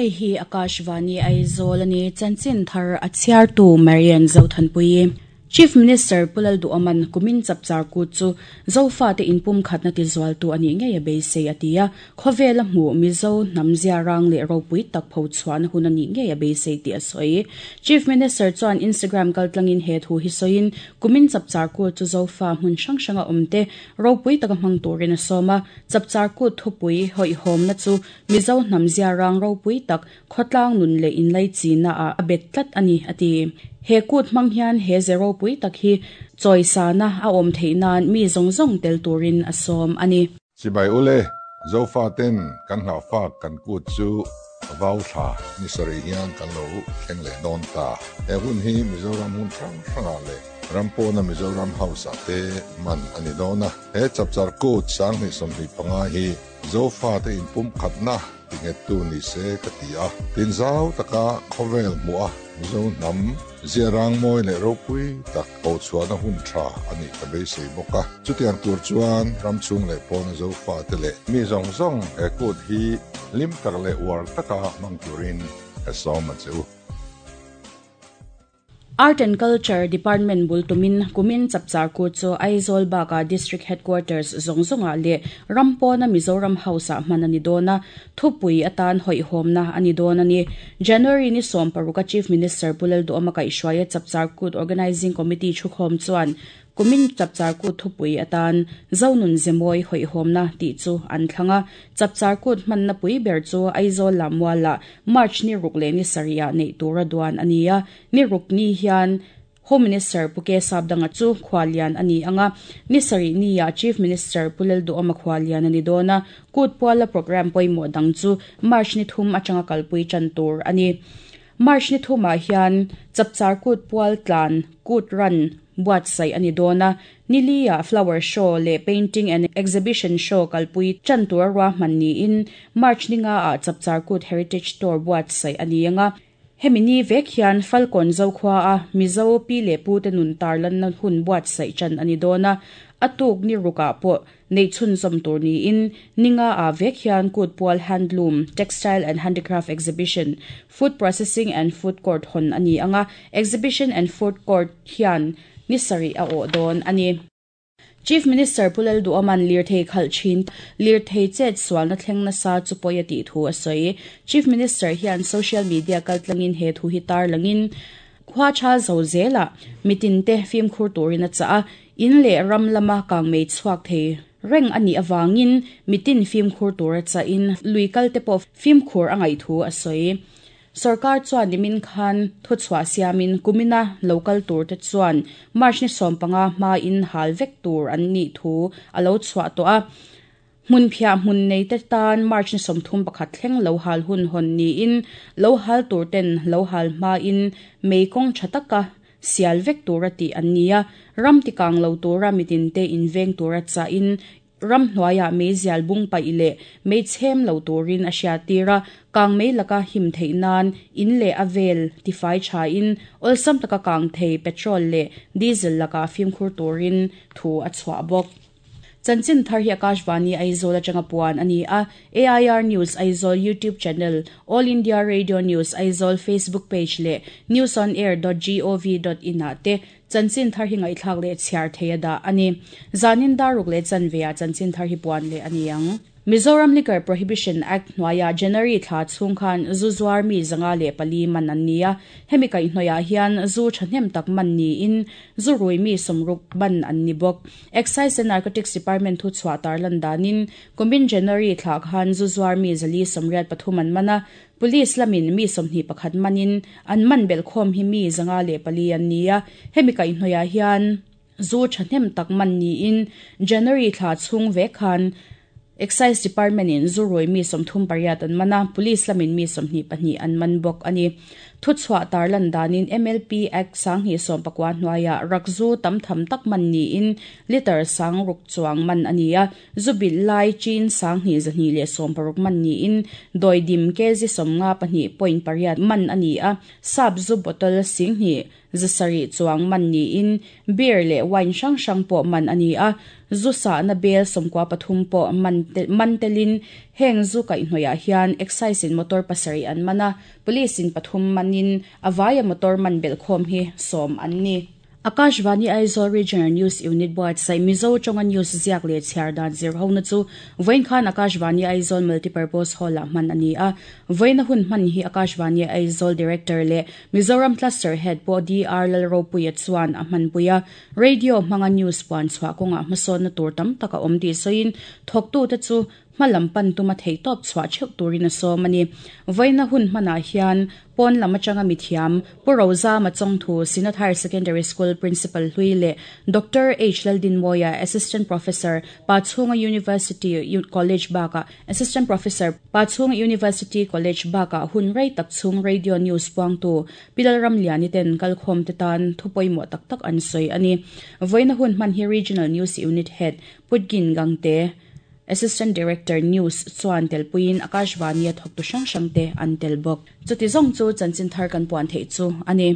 Hei hi Akashvani Aizawl a ni. Chanchin thar a chhiartu Marian Zothanpuii. Chief Minister Pu Lalduhawman kumin chapchar kut chu Zofate inpumkhatna tizualtu a nih ngei a beisei a ti a, khawvela hmuh Mizo hnam ziarang leh ropui tak phochhuahna hun a nih ngei a beisei tih a sawi. Chief Minister chuan Instagram kaltlangin he thu hi sawiin kumin chapchar kut chu Zofa hmun hrang hranga awmte ropui taka hmang turin a sawm a, chapchar kut thupui hawihhawmna chu Mizo hnam ziarang ropui tak khawtlang nun leh inlaichina ah a bet tlat a ni, a ti. He kut hmang hian he ze ropui tak hi chawisana a awm theih nan mi zawng zawng tel turin a sawm a ni. Chibai ule, Zofa ten kan hlauhfak kan kut chu vau thla ni sarih hian kan lo thleng leh dawn ta. He hun hi Mizoram hmun hrang hrangah leh ram pawna Mizoram House ah te hman a ni dawn a. He chapchar kut 2025 hi Zofate inpumkhatna tinghettu ni se ka ti a, tinzau taka khawvel hmuh a Mizo hnam ziarang mawi leh ropui tak hochhuahna hun tha a nih ka beisei bawk a. Chutiang tur chuan ram chhung leh pawna Zofate leh mi zawng zawng he kut hi hlim tak leh uar taka hmang turin ka sawm a che u. Art and Culture Department bul tumin kumin chapchar kut chu Aizawl bakah District Headquarters zawng zawngah leh ram pawna Mizoram House-ah hman a ni dawn a, thupui atan hawihhawmna a ni dawn a ni. January ni 16 a Chief Minister Pu Lalduhawma kaihhruaia Chapchar Kut Organising Committee thukhawm chuan Kumin Chapchar Kut thupui atan Zonun Zemawi hawihhawmna tih chu an thlang a, Chapchar Kut hmanna pui ber chu Aizawl lah mualah March ni ruk leh ni sarihah neih tura duan a ni a, ni ruk ni hian Home Minister Pu K Sapdanga chu khuallian a ni ang a, ni sarih niah Chief Minister Pu Lalduhawma khuallian a ni dawn a, Kut puala programme pawimawh dang chu March ni thum atanga kalpui tan tur a ni. March ni thumah hian Chapchar Kut pual tlan Kut Run buatsaih a ni dawn a, Nili-ah Flower Show leh Painting and Exhibition Show kalpui tan tura ruahman niin March ni ngaah Chapchar Kut Heritage Tour buatsaih a ni ang a. Hemi ni vek hian Falkawn Zokhua a Mizo pi leh pute nun tarlanna hun buatsaih tan a ni dawn a, a tuk ni rukah pawh neih chhunzawm tur niin ninga ah vek hian kut pual handloom, textile and handicraft exhibition, food processing and food court hawn a ni ang a, exhibition and food court hian ni sarih a awh dawn a ni. Chief Minister Pu Lalduhawma'n lirthei khalh thin lirthei chet sualna thleng nasa chu pawi a tih thu a sawi. Chief Minister hian social media kaltlangin he thu hi tarlangin khua tha zo zelah mitinte fimkhur turin a chah a, in leh ram lama kangmei chhuak thei reng a nih avangin mitin fimkhur tura chahin lui kalte pawh fimkhur a ngaih thu a sawi. Sorkar chuan nimin khan thuchhuah siamin kumina lo kal turte chuan March ni 15 hmain hal vek tur an nih thu a lo chhuah tawh a. Hmunphiah hmun neite tan March ni 31 thleng lo hal hun hawn niin lo hal turten lo hal hmain mei kawng tha taka sial vek tura tih an ni a, ram tikang lo tura mitinte inveng tura chahin ram hnuaiah meizial bung paih leh mei chhem lo turin a hriattir a, kang mei laka him theih nan in leh a vel tifai thain awlsam taka kang thei petrol leh diesel lakah fimkhur turin thu a chhuah bawk. Chanchin thar hi Akashvani Aizawl atanga puan a ni a, AIR News Aizawl YouTube channel, All India Radio News Aizawl Facebook page leh newsonair dot gov dot in ah te chanchin thar hi ngaihthlak leh chhiar thei a dah a ni. Zanin dar ruk leh chanve ah chanchin thar hi puan leh a ni ang. Mizoram Liquor Prohibition Act hnuaiah January thla chhung khan zu zuar mi 504 man an ni a, hemi kaihhnawihah hian zu thahnem tak man niin zu rui mi 60 man an ni bawk. Excise and Narcotics Department thu chhuah tarlan danin kumin January thla khan zu zuar mi 483 an man a, Police lamin mi 21 manin an man belhkhawm hi mi 504 an ni a, hemi kaihhnawihah hian zu thahnem tak man niin January thla chhung vek khan Excise Department in zu rui mi 38 an man a, Police lamin mi 22 an man bawk a ni. Thuchhuah tarlan danin MLP Act 2019 hnuaiah rakzu tam tham tak man niin litre 6,000 chuang man a ni a, zu bilh lai chin 2,260 man niin dawidim kg 52.8 man a ni a, sap zu bottle 2,700 chuang man niin beer leh wine hrang hrang pawh man a ni a, zu sahna bel 13 pawh man telin heng zu kaihhnawihah hian excise in motor 7 an man a, police in 3 manin a vaia motor man belhkhawm hi 10 an ni. Akashvani Aizawl Regional News Unit buatsaih Mizo tawnga news ziak leh chhiar dan zir hona chu vawiin khan Akashvani Aizawl Multipurpose Hall-ah hman a ni a. Vawiina hun hman hi Akashvani Aizawl Director leh Mizoram Cluster Head pawh DR Lalropuia chuan a hmanpui a. Radio hmanga news puan chhuah kawngah hmasawnna tur tam tak a awm tih sawiin thawktute chu hmalam pan tuma theihtawp chhuah theuh turin a sawm a ni. Vawiina hun hmanah hian pawn lam atanga mithiam Pu Rozama Chawngthu, Synod Higher Secondary School Principal Hlui leh Doctor H Laldinmawia, Assistant Professor, Pachhunga University College bakah Assistant Professor, Pachhunga University College bakah hun rei tak chhung Radio News puangtu Pi Lalramliani ten kalkhawm te tan thu pawimawh tak tak an sawi a ni. Vawiina hun hman hi Regional News Unit Head Putgin Gangte, Assistant Director News chuan telpuiin Akashvani-a thawktu hrang hrangte an tel bawk. Chuti zawng chu chanchin thar kan puan theih chu a ni.